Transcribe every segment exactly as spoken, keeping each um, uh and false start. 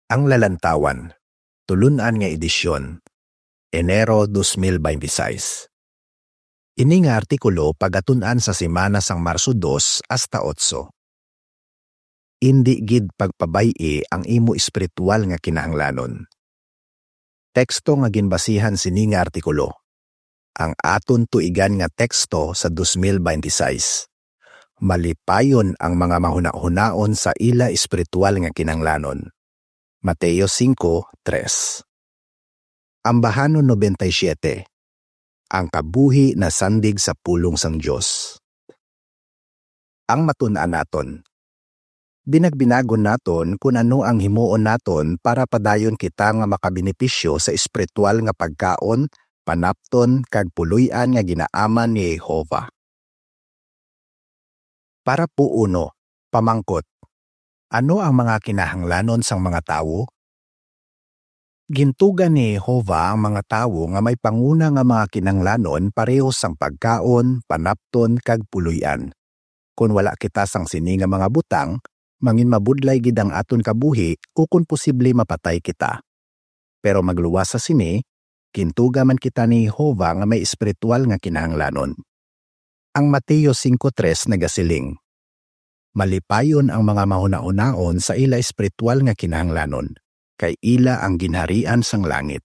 Ang Lalantawan, tulun-an nga edisyon, Enero dos mil beintiseis. Ini nga artikulo pagatun-an sa semana sang Marso dos hasta otso. Indi gid pagpabay-i ang imo espiritual nga kinahanglanon. Teksto nga ginbasihan sini nga artikulo. Ang aton tuigan nga teksto sa dos mil beintiseis. Malipayon ang mga mahunahunaon sa ila espiritual nga kinahanglanon. Mateo singko tres. Ambahanon nobenta y siyete. Ang kabuhi nasandig sa pulong sang Dios. Ang matun-an naton. Binagbinagon naton kon ano ang himuon naton para padayon kita nga makabenepisyo sa espiritual nga pagkaon, panapton, kag puloy-an nga ginaaman ni Jehovah. Parapo uno, pamangkot. Ano ang mga kinahanglanon sang mga tawo? Gintuga ni Jehovah ang mga tawo nga may panguna nga mga kinahanglanon pareho sang pagkaon, panapton, kag puloy-an. Kon wala kita sang sini nga mga butang, manginmabudlay gid ang aton kabuhi ukon posible mapatay kita. Pero magluwas sa sini, gintuga man kita ni Jehovah nga may espiritual nga kinahanglanon. Ang Mateo singko tres nagasiling, "Malipayon ang mga mahunahunaon sa ila espiritual nga kinahanglanon, kay ila ang ginharian sang langit."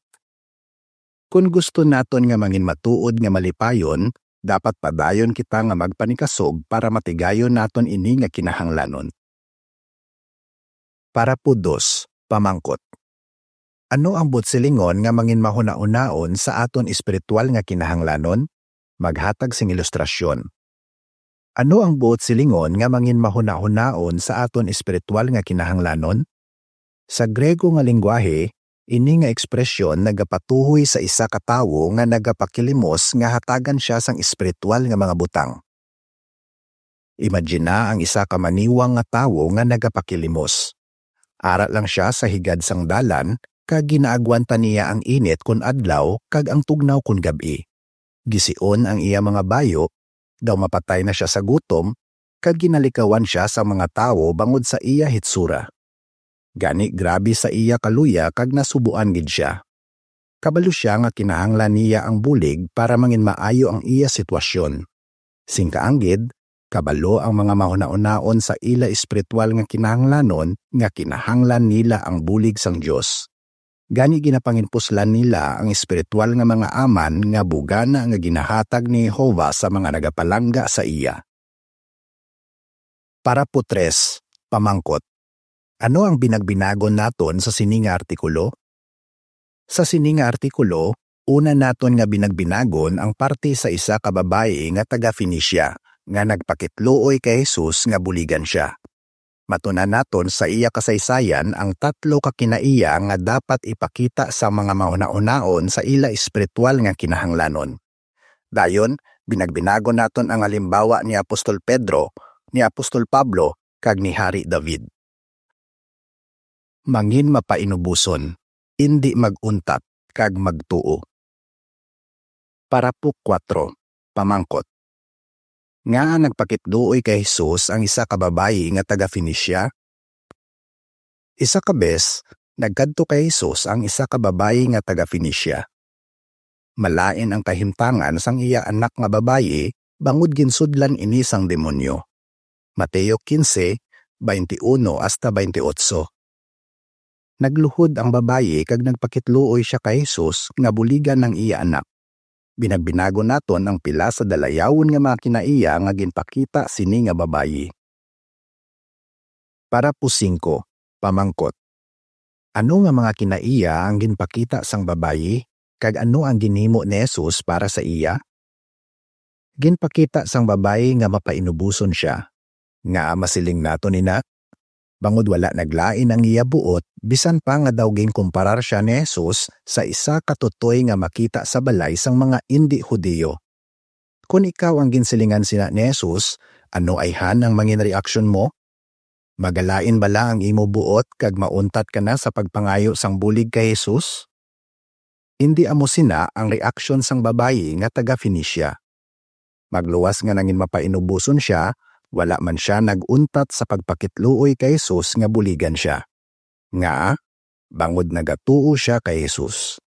Kon gusto naton nga manginmatuod nga malipayon, dapat padayon kita nga magpanikasog para matigayon naton ini nga kinahanglanon. Parapo dos, pamangkot. Ano ang buot silingon nga manginmahunahunaon sa aton espiritual nga kinahanglanon? Maghatag sing ilustrasyon. Ano ang buot silingon nga manginmahunahunaon sa aton espiritual nga kinahanglanon? Sa Griego nga linggwahe, ini nga ekspresyon nagapatuhoy sa isa ka tawo nga nagapakilimos nga hatagan sia sang espiritual nga mga butang. Imagina ang isa ka maniwang nga tawo nga nagapakilimos. Ara lang sia sa higad sang dalan, kag ginaagwanta niya ang init kon adlaw kag ang tugnaw kon gab-i. Gision ang iya mga bayo, daw mapatay na sia sa gutom, kag ginalikawan sia sa mga tawo bangod sa iya hitsura. Gani, grabe sa iya kaluya kag nasubuan gid sia. Kabalo sia nga kinahanglan niya ang bulig para manginmaayo ang iya sitwasyon. Sing kaanggid, kabalo ang mga mahunahunaon sa ila espiritual nga kinahanglanon nga kinahanglan nila ang bulig sang Dios. Gani, ginapanginpuslan nila ang espiritual nga mga aman nga bugana nga ginahatag ni Jehovah sa mga nagapalangga sa iya. Parapo tres, pamangkot. Ano ang binagbinagon naton sa sini nga artikulo? Sa sini nga artikulo, una naton nga binagbinagon ang parte sa isa ka babayi nga taga-Fenicia nga nagpakitluoy kay Jesus nga buligan sia. Matun-an naton sa iya kasaysayan ang tatlo ka kinaiya nga dapat ipakita sa mga mahunahunaon sa ila espiritual nga kinahanglanon. Dayon, binagbinagon naton ang halimbawa ni Apostol Pedro, ni Apostol Pablo, kag ni Hari David. Manginmapainuboson, indi mag-untat, kag magtuo. Parapo kuwatro, pamangkot. Ngaa nagpakitluoy kay Jesus ang isa ka babayi nga taga-Fenicia? Isa ka bes, nagkadto kay Jesus ang isa ka babayi nga taga-Fenicia. Malain ang kahimtangan sang iya anak nga babayi, bangod ginsudlan ini sang demonyo. Mateo kinse, baynte uno hasta baynte otso. Nagluhod ang babayi kag nagpakitluoy sia kay Jesus nga buligan ang iya anak. Binagbinagon naton ang pila sa dalayawon nga mga kinaiya nga ginpakita sini nga babayi. Parapo singko, pamangkot. Ano nga mga kinaiya ang ginpakita sang babayi, kag ano ang ginhimo ni Jesus para sa iya? Ginpakita sang babayi nga mapainuboson sia. Ngaa masiling naton ina? Bangod wala naglain ang iya buot, bisan pa nga daw ginkumparar sia ni Jesus sa isa ka tutoy nga makita sa balay sang mga indi Hudiyo. Kon ikaw ang ginsilingan sina ni Jesus, ano ayhan ang mangin reaksyon mo? Magalain bala ang imo buot kag mauntat ka na sa pagpangayo sang bulig kay Jesus? Indi amo sina ang reaksyon sang babayi nga taga-Fenicia. Magluwas nga nangin mapainuboson sia, wala man sia nag-untat sa pagpakitluoy kay Jesus nga buligan sia. Ngaa? bangod nagatuo sia kay Jesus.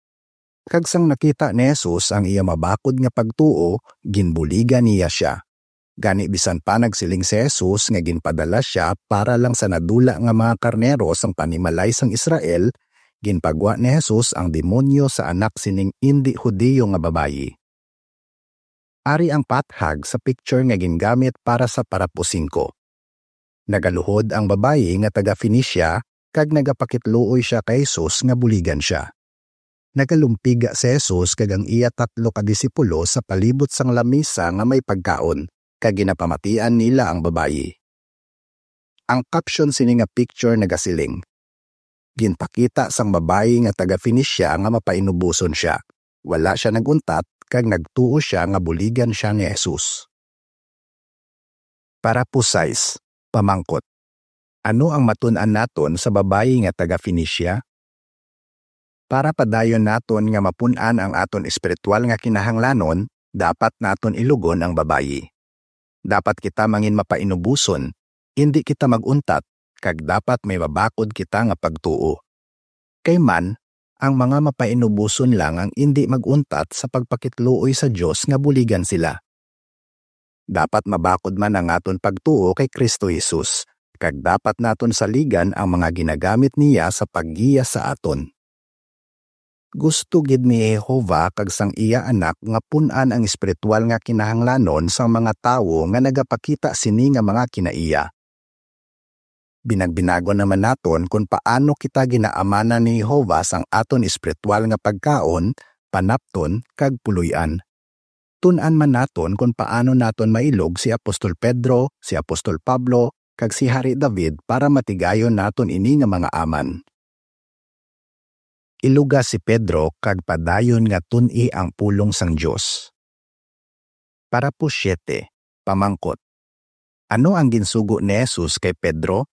Kag sang nakita ni Jesus ang iya mabakod nga pagtuo, ginbuligan niya sia. Gani, bisan pa nagsiling si Jesus nga ginpadala sia para lang sa nadula nga mga karnero sang panimalay sang Israel, ginpagwa ni Jesus ang demonyo sa anak sining indi Hudiyo nga babayi. Ari ang pathag sa picture nga gingamit para sa parapo singko. Nagaluhod ang babayi nga taga-Fenicia kag nagapakitluoy sia kay Jesus nga buligan sia. Nagalumpiga si Jesus kag ang iya tatlo ka disipulo sa palibot sang lamisa nga may pagkaon, kag ginapamatian nila ang babayi. Ang caption sini nga picture nagasiling, "Ginpakita sang babayi nga taga-Fenicia nga mapainuboson sia. Wala sia nag-untat kag nagtuo sia nga buligan sia ni Jesus." Parapo sais, pamangkot, ano ang matun-an naton sa babayi nga taga-Fenicia? Para padayon naton nga mapun-an ang aton espiritual nga kinahanglanon, dapat naton ilugon ang babayi. Dapat kita mangin mapainuboson, indi kita mag-untat, kag dapat may mabakod kita nga pagtuo. Kay man, ang mga mapainuboson lang ang indi mag-untat sa pagpakitluoy sa Dios nga buligan sila. Dapat mabakod man ang aton pagtuo kay Cristo Jesus, kag dapat naton saligan ang mga ginagamit niya sa paggiya sa aton. Gusto gid ni Jehovah kag sang iya Anak nga pun-an ang espiritual nga kinahanglanon sang mga tawo nga nagapakita sini nga mga kinaiya. Binagbinagon naman naton kon paano kita ginaamanan ni Jehovah sang aton espiritual nga pagkaon, panapton, kag puloy-an. Tun-an man naton kon paano naton mailog si Apostol Pedro, si Apostol Pablo, kag si Hari David para matigayon naton ini nga mga aman. Iluga si Pedro kag padayon nga tun-i ang pulong sang Dios. Parapo siete, pamangkot, ano ang ginsugo ni Jesus kay Pedro,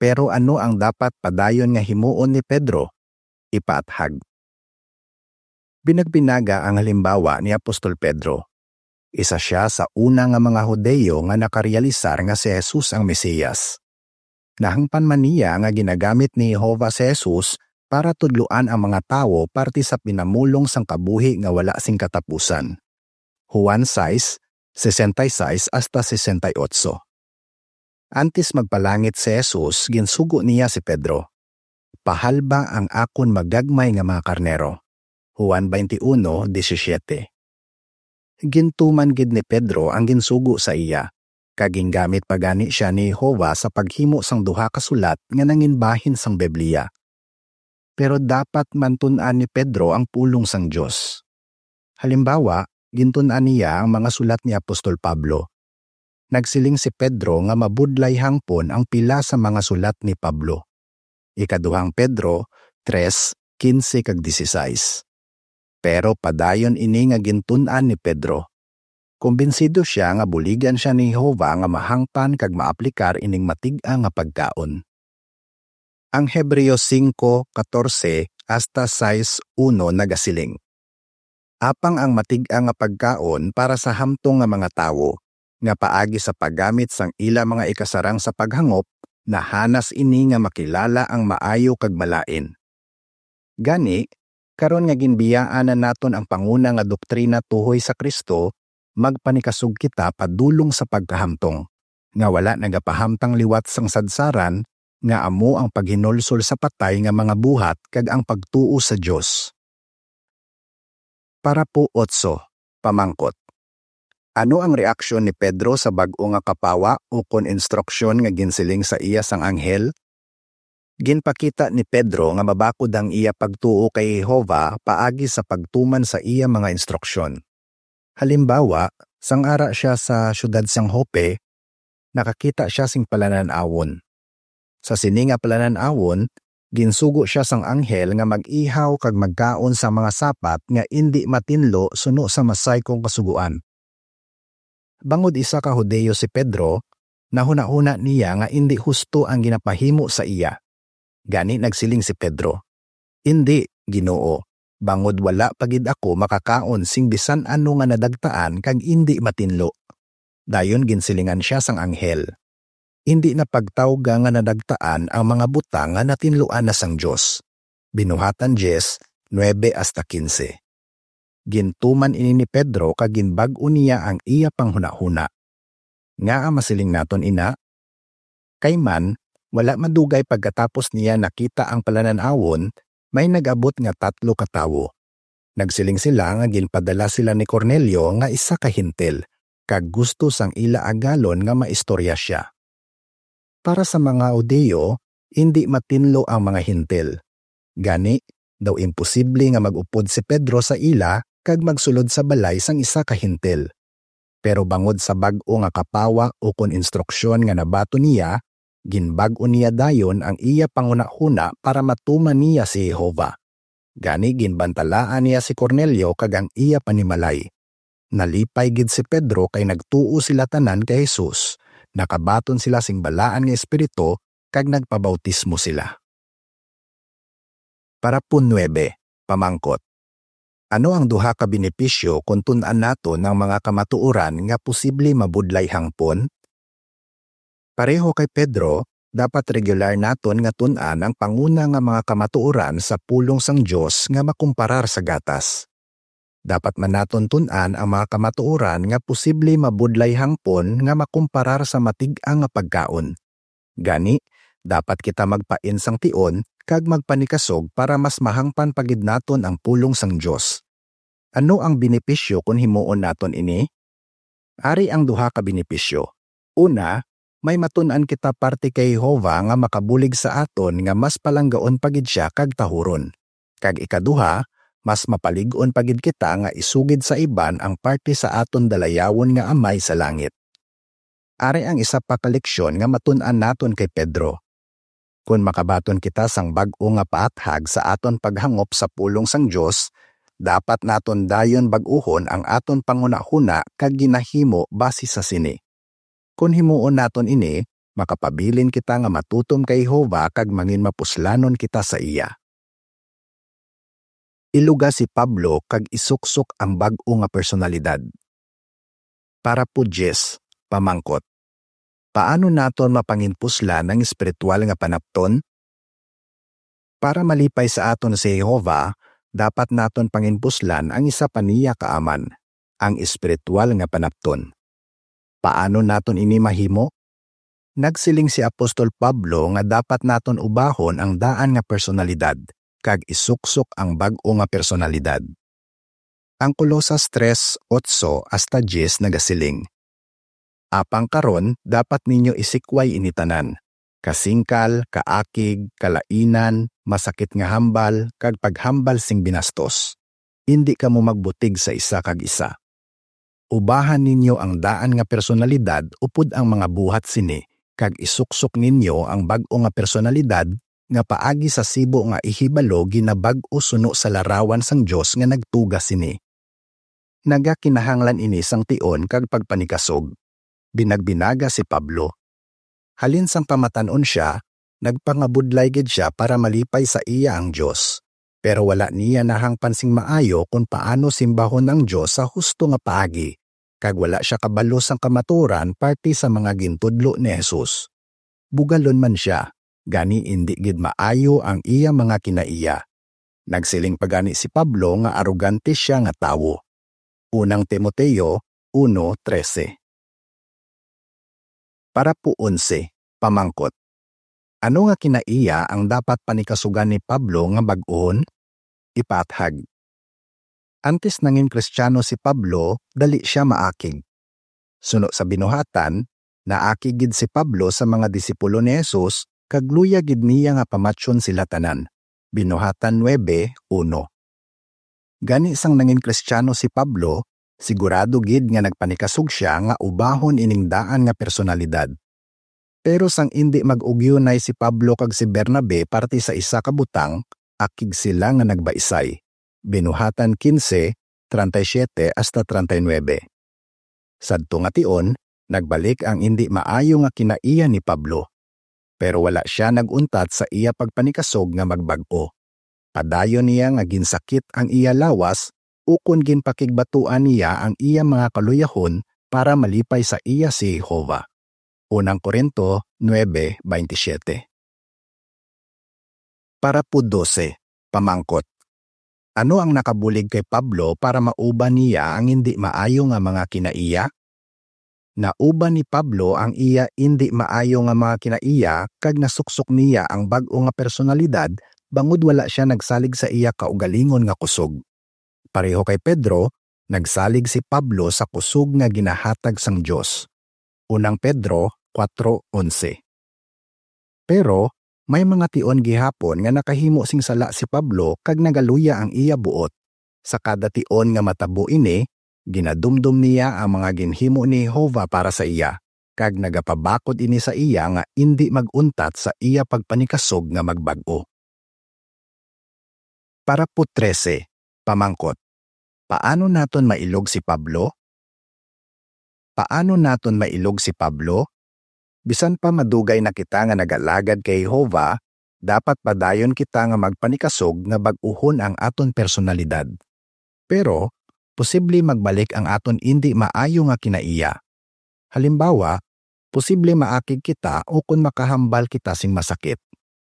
pero ano ang dapat padayon nga himuon ni Pedro? Ipaathag. Binagbinaga ang halimbawa ni Apostol Pedro. Isa sia sa una nga mga Hudiyo nga nakarealisar nga si Jesus ang Mesiyas. Nahangpan man niya nga ginagamit ni Jehovah si Jesus para tudloan ang mga tawo parte sa pinamulong sang kabuhi nga wala sing katapusan. Juan sais, sesenta y seis hasta sesenta y ocho. Antes magpalangit si Jesus, ginsugo niya si Pedro, "Pahalba ang akon magagmay nga mga karnero." Juan twenty-one diecisiete. Gintuman gid ni Pedro ang ginsugo sa iya, kag gingamit pa gani sia ni Jehovah sa paghimo sang duha ka sulat nga nanginbahin sang Biblia. Pero dapat man tun-an ni Pedro ang pulong sang Dios. Halimbawa, gintun-an niya ang mga sulat ni Apostol Pablo. Nagsiling si Pedro nga mabudlay hangpon ang pila sa mga sulat ni Pablo. Ikaduhang Pedro tres, quince kag dieciséis. Pero padayon ini nga gintun-an ni Pedro. Kumbinsido sia nga buligan sia ni Jehovah nga mahangpan kag maaplikar ining matig-a nga pagkaon. Ang Hebreo singko katorse hasta sais uno nagasiling, "Apang ang matig-a nga pagkaon para sa hamtong nga mga tawo, nga paagi sa paggamit sang ila mga ikasarang sa paghangop, nahanas ini nga makilala ang maayo kag malain." Gani, karon nga ginbiyaan na naton ang panguna nga doktrina tuhoy sa Cristo, magpanikasog kita padulong sa pagkahamtong, nga wala nagapahamtang liwat sang sadsaran, nga amo ang paghinulsol sa patay nga mga buhat kag ang pagtuo sa Dios. Parapo otso, pamangkot, ano ang reaksyon ni Pedro sa bag-o nga kapawa ukon instruksyon nga ginsiling sa iya sang anghel? Ginpakita ni Pedro nga mabakod ang iya pagtuo kay Jehovah paagi sa pagtuman sa iya mga instruksyon. Halimbawa, sang ara sia sa siyudad sang Joppe, nakakita sia sing palanan-awon. Sa sini nga palanan-awon, ginsugo sia sang anghel nga mag-ihaw kag magkaon sang mga sapat nga indi matinlo suno sa masay kong kasugoan. Bangod isa ka Hudiyo si Pedro, nahunahuna niya nga indi husto ang ginapahimo sa iya. Gani nagsiling si Pedro, "Indi, Ginoo, bangod wala pa gid ako makakaon sing bisan ano nga nadagtaan kag indi matinlo." Dayon ginsilingan sia sang anghel, "Indi na pagtawga nga nadagtaan ang mga butang nga natinluan na sang Dios." Binuhatan diyes, nuebe hasta kinse. Gintuman ini ni Pedro kag ginbag-o niya ang iya panghunahuna. Ngaa masiling naton ina? Kay man, wala madugay pagkatapos niya nakita ang palanan-awon, may nag-abot nga tatlo ka tawo. Nagsiling sila nga ginpadala sila ni Cornelio nga isa ka Hentil, kag gusto sang ila agalon nga maistorya sia. Para sa mga Hudiyo, indi matinlo ang mga Hentil. Gani, daw imposible nga mag-upod si Pedro sa ila kag magsulod sa balay sang isa ka Hentil. Pero bangod sa bag-o nga kapawa ukon instruksyon nga nabaton niya, ginbag-o niya dayon ang iya panghunahuna para matuman niya si Jehovah. Gani, ginbantalaan niya si Cornelio kag ang iya panimalay. Nalipay gid si Pedro kay nagtuo sila tanan kay Jesus. Nakabaton sila sing balaan nga espiritu kag nagpabautismo sila. Parapo nuebe, pamangkot. Ano ang duha ka benepisyo kon tun-an naton ang mga kamatuoran nga posible mabudlay hangpon? Pareho kay Pedro, dapat regular naton nga tun-an ang panguna nga mga kamatuoran sa pulong sang Dios nga makumparar sa gatas. Dapat man naton tun-an ang mga kamatuoran nga posible mabudlay hangpon nga makumparar sa matig-a nga pagkaon. Gani, dapat kita magpain sang tion kag magpanikasog para mas mahangpan pa gid naton ang pulong sang Dios. Ano ang benepisyo kon himuon naton ini? Ari ang duha ka benepisyo. Una, may matun-an kita parte kay Jehovah nga makabulig sa aton nga mas palanggaon pa gid sia kag tahuron. Kag ikaduha, mas mapalig-on pa gid kita nga isugid sa iban ang parte sa aton dalayawon nga Amay sa langit. Ari ang isa pa ka leksyon nga matun-an naton kay Pedro. Kon makabaton kita sang bag-o nga paathag sa aton paghangop sa pulong sang Dios, dapat naton dayon bag-uhon ang aton panghunahuna kag ginahimo basi sa sini. Kon himuon naton ini, makapabilin kita nga matutom kay Jehovah kag manginmapuslanon kita sa iya. Iluga si Pablo kag isuksok ang bag-o nga personalidad. Parapo diyes, pamangkot. Paano naton mapanginpuslan ang espiritual nga panapton? Para malipay sa aton si Jehovah, dapat naton panginpuslan ang isa pa niya ka aman, ang espiritual nga panapton. Paano naton ini mahimo? Nagsiling si Apostol Pablo nga dapat naton ubahon ang daan nga personalidad kag isuksok ang bag-o nga personalidad. Ang Colosas tres, otso hasta diyes nagasiling, "Apang karon dapat ninyo isikway ini tanan: kasingkal, kaakig, kalainan, masakit nga hambal, kag paghambal sing binastos. Indi kamo magbutig sa isa kag isa." Ubahan ninyo ang daan nga personalidad upod ang mga buhat sini, kag isuksok ninyo ang bag-o nga personalidad nga paagi sa sibo nga ihibalo ginabag-o suno sa larawan sang Dios nga nagtuga sini. Nagakinahanglan ini sang tion kag pagpanikasog. Binagbinaga si Pablo. Halin sang pamatan-on sia, nagpangabudlay gid sia para malipay sa iya ang Dios. Pero wala niya nahangpan sing maayo kon paano simbahon ang Dios sa husto nga paagi, kag wala sia kabalo sang kamatuoran parte sa mga gintudlo ni Jesus. Bugalon man sia, gani indi gid maayo ang iya mga kinaiya. Nagsiling pa gani si Pablo nga arogante sia nga tawo. Unang Timoteo uno trese. Parapo onse, pamangkot. Ano nga kinaiya ang dapat panikasugan ni Pablo nga bag-ohon? Ipaathag. Antes nangin Kristiyano si Pablo, dali sia maakig. Suno sa binuhatan, naakig gid si Pablo sa mga disipulo ni Jesus, kag luyag gid niya nga pamatyon sila tanan. Binuhatan nuebe uno. Gani, sang nangin Kristiyano si Pablo, sigurado gid nga nagpanikasog sia nga ubahon ining daan nga personalidad. Pero sang indi mag-ugyonay si Pablo kag si Bernabe parte sa isa ka butang, akig sila nga nagbaisay. Binuhatan kinse, treinta y siete hasta treinta y nuebe. Sadto nga tion, nagbalik ang indi maayo nga kinaiya ni Pablo. Pero wala sia nag-untat sa iya pagpanikasog nga magbag-o. Padayon niya nga ginsakit ang iya lawas, ukon ginpakigbatuan niya ang iya mga kaluyahon para malipay sa iya si Jehovah. Unang Corinto nuebe veintisiete. Parapo dose, Pamangkot: Ano ang nakabulig kay Pablo para mauban niya ang indi maayo nga mga kinaiya? Nauban ni Pablo ang iya indi maayo nga mga kinaiya kag nasuksok niya ang bag-o nga personalidad bangod wala sia nagsalig sa iya kaugalingon nga kusog. Pareho kay Pedro, nagsalig si Pablo sa kusog nga ginahatag sang Dios. Unang Pedro kuwatro onse. Pero may mga tion gihapon nga nakahimo sing sala si Pablo kag nagaluya ang iya buot. Sa kada tion nga matabo ini, ginadumdom niya ang mga ginhimo ni Jehovah para sa iya, kag nagapabakod ini sa iya nga indi mag-untat sa iya pagpanikasog nga magbag-o. Parapo trese, pamangkot: Paano naton mailog si Pablo? Paano naton mailog si Pablo? Bisan pa madugay na kita nga nag-alagad kay Jehovah, dapat padayon kita nga magpanikasog nga bag-uhon ang aton personalidad. Pero posible magbalik ang aton indi maayo nga kinaiya. Halimbawa, posible maakig kita ukon makahambal kita sing masakit.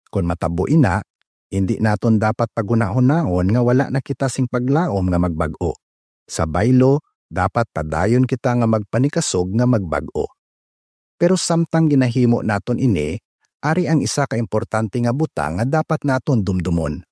Kon matabo ina, indi naton dapat paghunahunaon nga wala na kita sing paglaom nga magbag-o. Sa baylo, dapat padayon kita nga magpanikasog nga magbag-o. Pero samtang ginahimo naton ini, ari ang isa ka importante nga butang nga dapat naton dumdumon.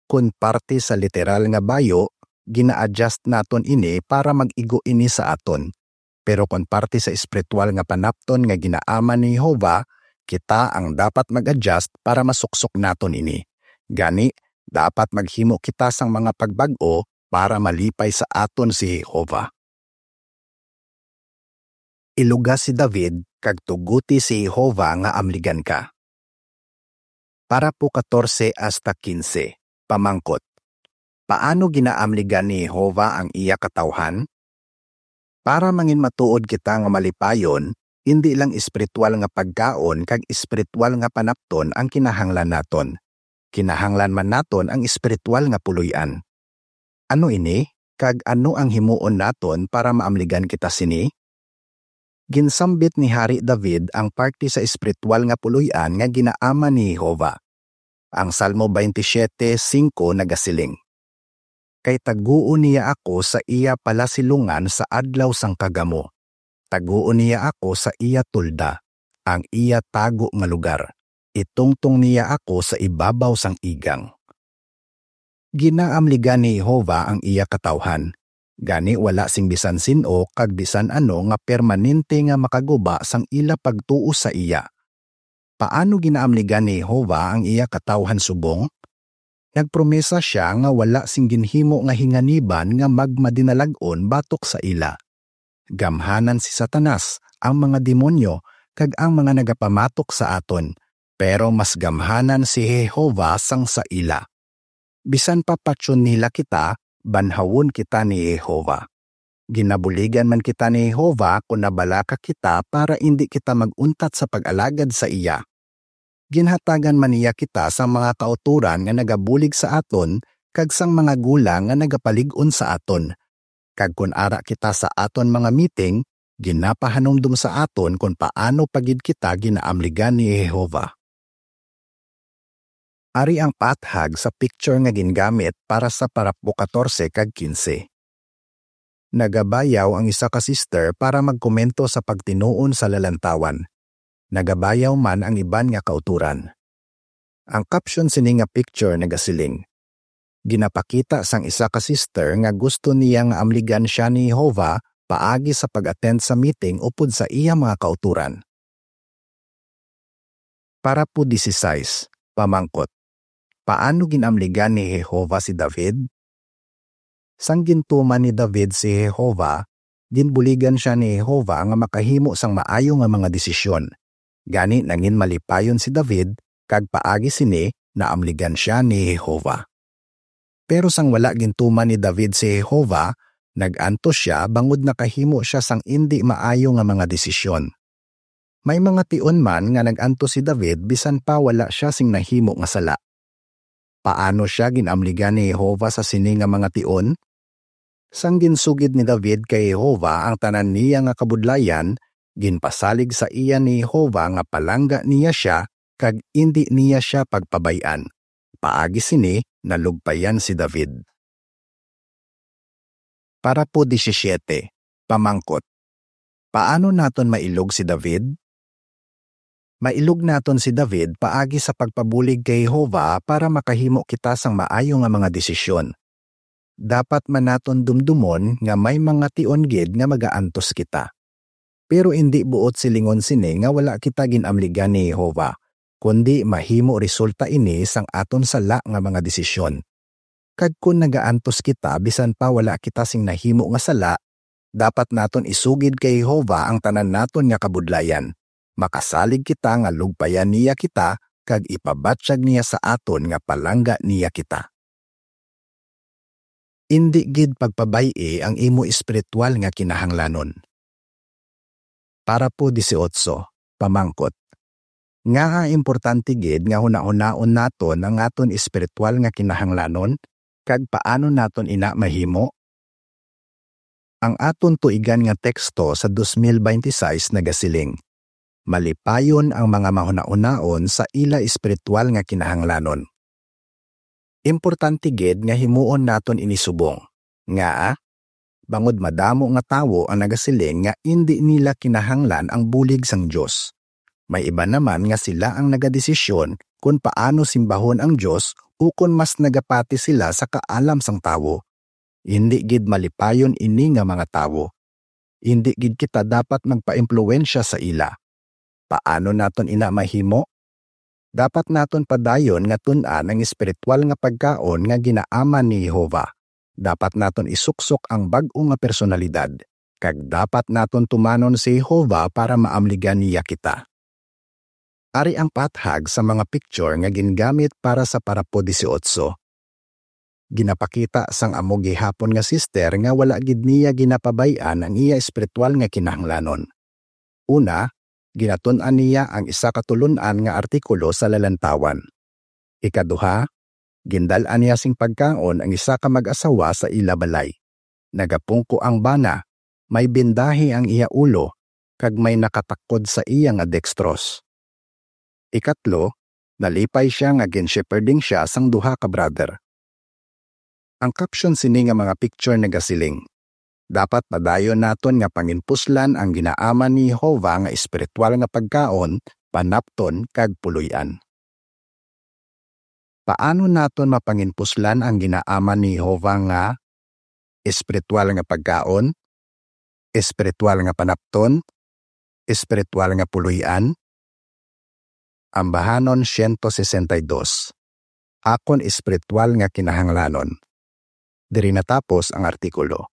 Kon parte sa literal nga bayo, gina-adjust naton ini para mag-igo ini sa aton. Pero kon parte sa espiritual nga panapton nga ginaaman ni Jehovah, kita ang dapat mag-adjust para masuksok naton ini. Gani, dapat maghimo kita sang mga pagbag-o para malipay sa aton si Jehovah. Iluga si David kag tuguti si Jehovah nga amligan ka. Parapo katorse hasta kinse, pamangkot: Paano ginaamligan ni Jehovah ang iya katawhan? Para manginmatuod kita nga malipayon, indi lang espiritual nga pagkaon kag espiritual nga panapton ang kinahanglan naton. Kinahanglan man naton ang espiritual nga puloy-an. Ano ini, kag ano ang himuon naton para maamligan kita sini? Ginsambit ni Hari David ang parte sa espiritual nga puloy-an nga ginaaman ni Jehovah. Ang Salmo twenty-seven singko nagasiling: Kay taguon niya ako sa iya palasilungan sa adlaw sang kagamo. Taguon niya ako sa iya tolda, ang iya tago nga lugar. Itungtong niya ako sa ibabaw sang igang. Ginaamligan ni Jehovah ang iya katawhan, gani wala sing bisan sin-o kag bisan ano nga permanente nga makaguba sang ila pagtuo sa iya. Paano ginaamligan ni Jehovah ang iya katawhan subong? Nagpromesa sia nga wala sing ginhimo nga hinganiban nga magmadinalag-on batok sa ila. Gamhanan si Satanas, ang mga demonyo, kag ang mga nagapamatok sa aton, pero mas gamhanan si Jehovah sang sa ila. Bisan pa patyon nila kita, banhawon kita ni Jehovah. Ginabuligan man kita ni Jehovah kon nabalaka kita para indi kita mag-untat sa pag-alagad sa iya. Ginhatagan man niya kita sang mga kautoran nga nagabulig sa aton kag sang mga gulang nga nagapalig-on sa aton. Kag kon ara kita sa aton mga meeting, ginapahanumdom sa aton kon paano pa gid kita ginaamligan ni Jehovah. Ari ang paathag sa picture nga gingamit para sa parapo katorse kag kinse. Nagabayaw ang isa ka sister para magkomento sa pagtinuon sa lalantawan. Nagabayaw man ang iban nga kautoran. Ang caption sini nga picture nagasiling: Ginapakita sang isa ka sister nga gusto niya nga amligan sia ni Jehovah paagi sa pag-attend sa meeting upod sa iya mga kautoran. Parapo dieciséis, pamangkot: Paano ginamligan ni Jehovah si David? Sang gintuman ni David si Jehovah, ginbuligan sia ni Jehovah nga makahimo sang maayo nga mga desisyon. Gani, nangin malipayon si David, kag paagi sini naamligan sia ni Jehovah. Pero sang wala gintuman ni David si Jehovah, nag-antos sia bangod nakahimo sia sang indi maayo nga mga desisyon. May mga tion man nga nag-antos si David bisan pa wala sia sing nahimo nga sala. Paano sia gin-amligan ni Jehovah sa sini nga mga tion? Sang ginsugid ni David kay Jehovah ang tanan niya nga kabudlayan, ginpasalig sa iya ni Jehovah nga palangga niya sia kag indi niya sia pagpabay-an. Paagi sini, nalugpayan si David. Parapo disisiete, pamangkot, paano naton mailog si David? Mailog naton si David paagi sa pagpabulig kay Jehovah para makahimo kita sang maayo nga mga desisyon. Dapat man naton dumdumon nga may mga tion gid nga magaantos kita. Pero indi buot silingon sini nga wala kita gin-amligan ni Jehovah, kundi mahimo resulta ini sang aton sala nga mga desisyon. Kag kon nagaantos kita bisan pa wala kita sing nahimo nga sala, dapat naton isugid kay Jehovah ang tanan naton nga kabudlayan. Makasalig kita nga lugpayan niya kita kag ipabatyag niya sa aton nga palangga niya kita. Indi gid pagpabay-i ang imo espiritual nga kinahanglanon. Parapo dieciocho, pamangkot, ngaa importante gid nga hunahunaon naton ang aton espiritual nga kinahanglanon, kag paano naton ina mahimo? Ang aton tuigan nga teksto sa dos mil beintiseis nagasiling, "Malipayon ang mga mahunahunaon sa ila espiritual nga kinahanglanon." Importante gid nga himuon naton ini subong. Ngaa? Bangod madamo nga tawo ang nagasiling nga indi nila kinahanglan ang bulig sang Dios. May iban naman nga sila ang nagadesisyon kon paano simbahon ang Dios ukon mas nagapati sila sa kaalam sang tawo. Indi gid malipayon ini nga mga tawo. Indi gid kita dapat magpaimpluwensya sa ila. Paano naton ina mahimo? Dapat naton padayon nga tun-an ang espiritual nga pagkaon nga ginaaman ni Jehovah. Dapat naton isuksok ang bag-o nga personalidad, kag dapat naton tumanon si Jehovah para maamligan niya kita. Ari ang paathag sa mga picture nga gingamit para sa parapo dieciocho. Ginapakita sang amo gihapon nga sister nga wala gid niya ginapabay-an ang iya espiritual nga kinahanglanon. Una, ginatun-an niya ang isa ka tulon-an nga artikulo sa lalantawan. Ikaduha, gindal-an niya sing pagkaon ang isa ka mag-asawa sa ila balay. Nagapungko ang bana, may bindahi ang iya ulo, kag may nakatakod sa iya nga dextrose. Ikatlo, nalipay sia nga gin-shepherding sia sang duha ka brother. Ang caption sini nga mga picture nagasiling, "Dapat padayon naton nga panginpuslan ang ginaaman ni Jehovah nga espiritual nga pagkaon, panapton, kag puloy-an." Paano naton mapanginpuslan ang ginaaman ni Jehovah nga espiritual nga pagkaon, espiritual nga panapton, espiritual nga puloy-an? Ambahanon siyento sesenta y dos, akon espiritual nga kinahanglanon. Diri natapos ang artikulo.